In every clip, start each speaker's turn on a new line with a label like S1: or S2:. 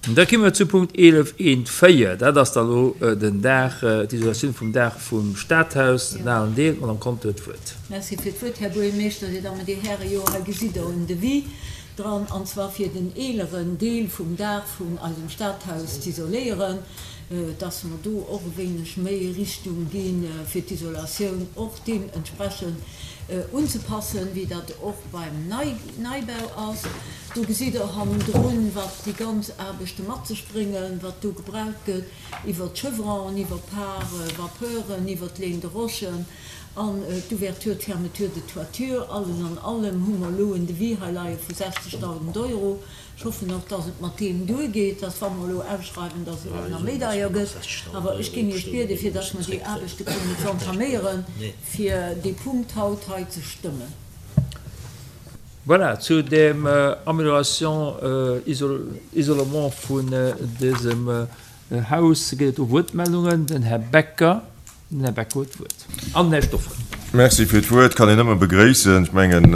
S1: Da komme mer zu Punkt 11, 1, 4. Dat ass da lo den Daach, d'Isolatioun vum Daach vum Stadhaus, den alen Deel. D'Madame Conter huet d'Wuert.
S2: Merci fir d'Wuert, Här Buergermeeschter, Dir Dammen, Dir Hären. Jo, hei gesitt Der en Devis dran, an zwar fir den eeleren Deel vum Daach vun eisem Stadhaus z'isoléieren, dass mer do och e wéineg méi Richtung gi fir d'Isolatioun och deementsprechend unzepassen, wéi dat och beim Neibau ass. Do gesitt Der hannendrun, wat déi ganz Aarbechte mat sech bréngen, wat do gebraucht gëtt, iwwert d'Chevronen, iwwer Pare-vapeuren, iwwert d'Laine de rochen an d'Ouverture, d'Fermeture de toiture. Alles an allem hu mer elo en Devis hei leie vu 60.000 Euro. Ech hoffen och, dass et mat deem duergeet, dass wa mer elo ausschreiwen, dass et net nach méi deier gëtt. Awer ech géing Iech bieden, fir dass mer déi Aarbechte kënnen z'entaméieren, fir dee Punkt haut hei ze stëmmen.
S1: Voilà, zu dem Amélioration, Isolement vun dësem Haus gëtt et do Wuertmeldungen. Den Här Becker, den Här Becker huet d'Wuert. An den Här Stoffel.
S3: Merci fir d'Wuert. Kann een nëmme begréissen. Ech mengen,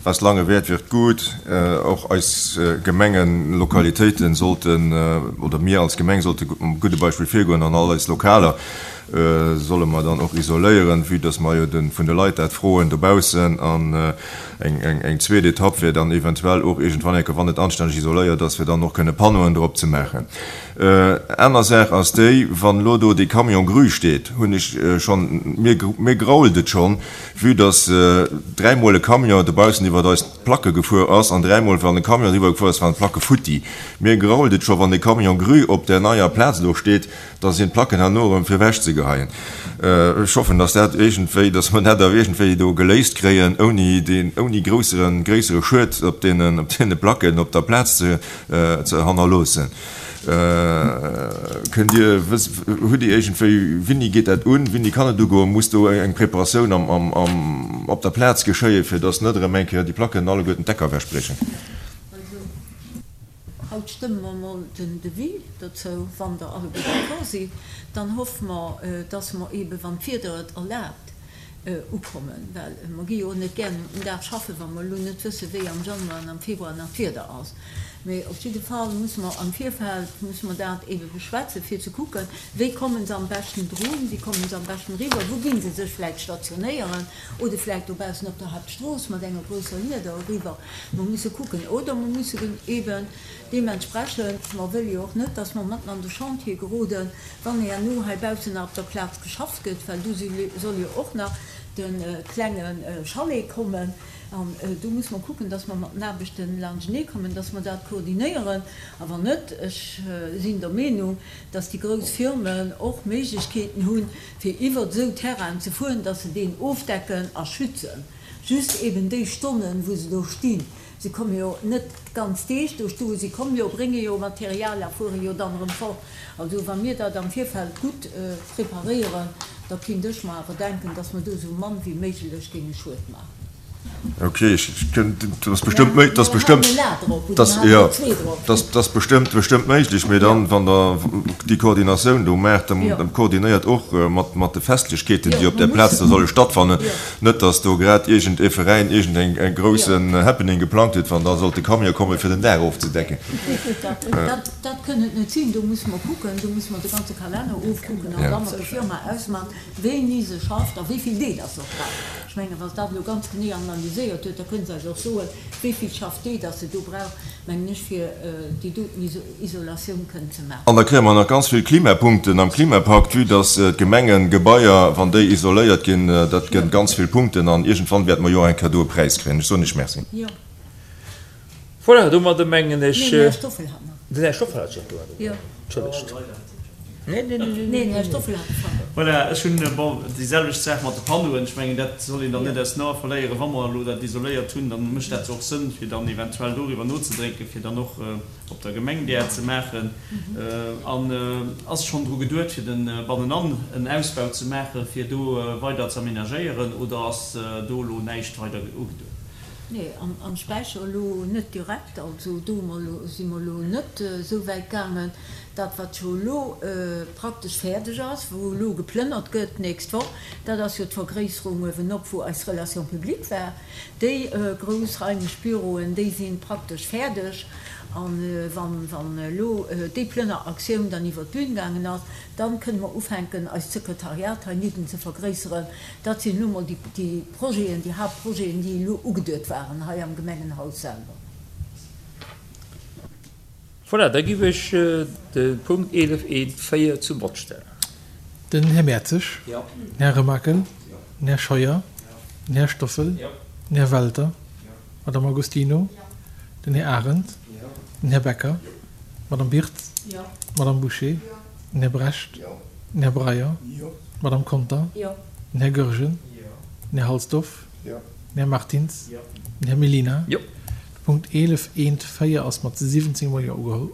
S3: was lange währt, wird gut. Och eis Gemengenlokalitéiten sollten, oder mir als Gemeng sollte mam gudde Beispill virgoen an all eis Lokaler solle mer dann och isoléieren, vue dass mer jo vun de Leit dat froen dobaussen. An eng zweet Etapp wär dann eventuell och iergendwann eng Kéier, wann et anstänneg isoléiert ass, fir dann och kënne Panneauen drop ze maachen. Aner Saach ass déi, wann elo do dee Camion grue steet, hunn ech schonn, mir, mir grault et schonn, vue dass dräimol e Camion dobaussen iwwert eis Placke gefuer ass an dräimol, wann e Camion eriwwer gefuer ass, waren d'Placke futti. Mir grault et scho, wann dee Camion grue op där neier Plaz do steet, Da sinn d'Placken herno erëm fir ewech ze geheien. Ech hoffen, dass dat iergendwéi, dass mer dat awer iergendwéi do geléist kréien, ouni deen, ouni grousseren, gréissere Schued op deenen, op deene Placken op der Plaz ze, ze hannerloossen. Kënnt Dir, wësst, hutt Dir iergendwéi, wéini geet dat un, wéini kann et ugoen? Muss do eng Preparatioun am, am, am, op der Plaz geschéien, fir dass net erëm eng Kéier déi Placken alleguerten d'Decker ewechbriechen?
S2: Haut stëmme mer emol den Devis dozou, wann Der alleguer d'accord sidd. Dann hoffe mer, dass mer eeben, wann d'Wieder et erlaabt, ukommen, well mer gi jo och net gären um Dag schaffen, wa mer elo net wëssen, wéi am Januar an am Februar nach d'Wieder ass. Mee op jidde Fall musse mer am Virfeld musse mer dat eebe beschwätzen, fir ze kucken, wéi komme se am beschten drun, wéi komme se am beschten eriwwer, wou gi se sech vläicht stationéieren oder vläicht dobaussen op der Hauptstrooss mat enger grousser Lieder eriwwer. Mer musse kucken, oder mer musse eben deementsprechend, mer wëlle jo och net, dass mer matten an de Chantier geroden, wann herno heibaussen nach op der Plaz geschafft gëtt, well do soll jo och nach de klenge Chalet kommen. An do musse mer kucken, dass mer mat den Aarbechten laanschtenee kommen, dass mer dat koordinéieren. A wann net, ech sinn der Meenung, dass déi grouss Firmen och Méiglechkeeten hunn, fir iwwert esou Terrainen ze fueren, dass se deen ofdecken a schützen. Just eben déi Stonnen, wou se do stinn. Se komme jo net ganz Deeg do stoen, si komme jo, brénge jo Material a fuere jo dann erëm fort. Also wa mir dat am Virfeld gutt preparéieren, da kinnt ech mer awer denken, dass mer do esou mann wéi méiglech géinge Schued maachen.
S3: Ok, ech kënnt, dat ass bestëmmt méi, dat ass bestëmmt, dat, jo, dat ass bestëmmt, bestëmmt méiglech, mee dann, wann Der déi Koordinatioun do maacht, dann koordinéiert och mat, mat de Festlechkeeten, déi op där Plaz da solle stattfannen. Net, dass do grad iergend ee Veräin iergend eng e groussen Happening geplangt huet, wann da sollt de Camion kommen, fir den Daach ofzedecken.
S2: Dat kënn et net sinn. Do musse mer kucken, do musse mer de ganze Kalenner ofkucken an da mat der Firma ausmachen, wéini se schafft a wéi vill Deeg dass se och brauch. Ech mengen, wa se dat elo ganz genee analyséiert huet, da kënne se eis och soen, wéi vill Schaffdeeg dass se do brauch, mengen ech, fir déi doten Isolatioun kënnen ze maachen.
S3: An da kréie mer nach ganz vill Klimapunkten am Klimapakt, vue dass d'Gemengegebaier, wann déi isoléiert ginn, dat gëtt ganz vill Punkten an iergendwann wäerte mer jo och eng Kéier do e Präis kréien. Ech soen Iech Merci.
S1: Voilà, domadder mengen ech. Neen, den Här Stoffel hat nach. Den Här Stoffel hat jo nach. Jo. Entschëllegt.
S4: Nee, nee, nee, nee. Neen, den Här Stoffel hat de Panneau. Voilà, ech hunn, bon, déi selwecht Saach mat de Panneauen. Ech mengen, dat soll een dann net aus den Ae verléieren. Wa mer elo dat isoléiert hunn, dann mécht dat jo och Sënn, fir dann eventuell doriwwer nozedrénken, fir dann och op der Gemeng där ze maachen. An ass schonn dru geduet, fir de bannenan en Ausbau ze maachen, fir do weider ze amenagéieren, oder ass do elo näischt weider ugeduet?
S2: Nee, am Späicher elo net direkt. Also do hu mer elo, si mer elo net esou wäit gaangen. Dat, wat jo elo praktesch fäerdeg ass, wou elo geplënnert gëtt d'nächst Woch, dat ass jo d'Vergréisserung uewenop, wou eis Relation publique war. Déi grouss raimlech Büroen, déi si praktesch fäerdeg. A wann elo déi Plënneraktioun dann iwwer d'Bün gaangen ass, dann kënne mer ufänken, eist Sekretariat heinidden ze vergréisseren. Dat sinn elo mol déi Projeten, déi Haaptprojeten, déi elo ugeduet waren hei am Gemengenhaus selwer.
S1: Voilà, da giff ech de Punkt 11 eent 4 zum Vott stellen.
S5: Den Här Mertzig. Jo. Den Här Remakel. Jo. Den Här Scheuer. Jo. Den Här Stoffel. Jo. Den Här Welter. Jo. D'Madame Agostino. Jo. Den Här Arendt. Jo. Den Här Becker. Jo. D'Madame Birtz. Jo. D'Madame Bouché. Jo. Den Här Brecht. Jo. Den Här Breyer. Jo. D'Madame Conter. Jo. Den Här Goergen. Jo. Den Här Halsdorf. Jo. Den Här Martins. Jo. Den Här Mellina.
S1: Jo.
S5: De Punkt 11 eent 4 ass mat 17 mol Jo ugeholl.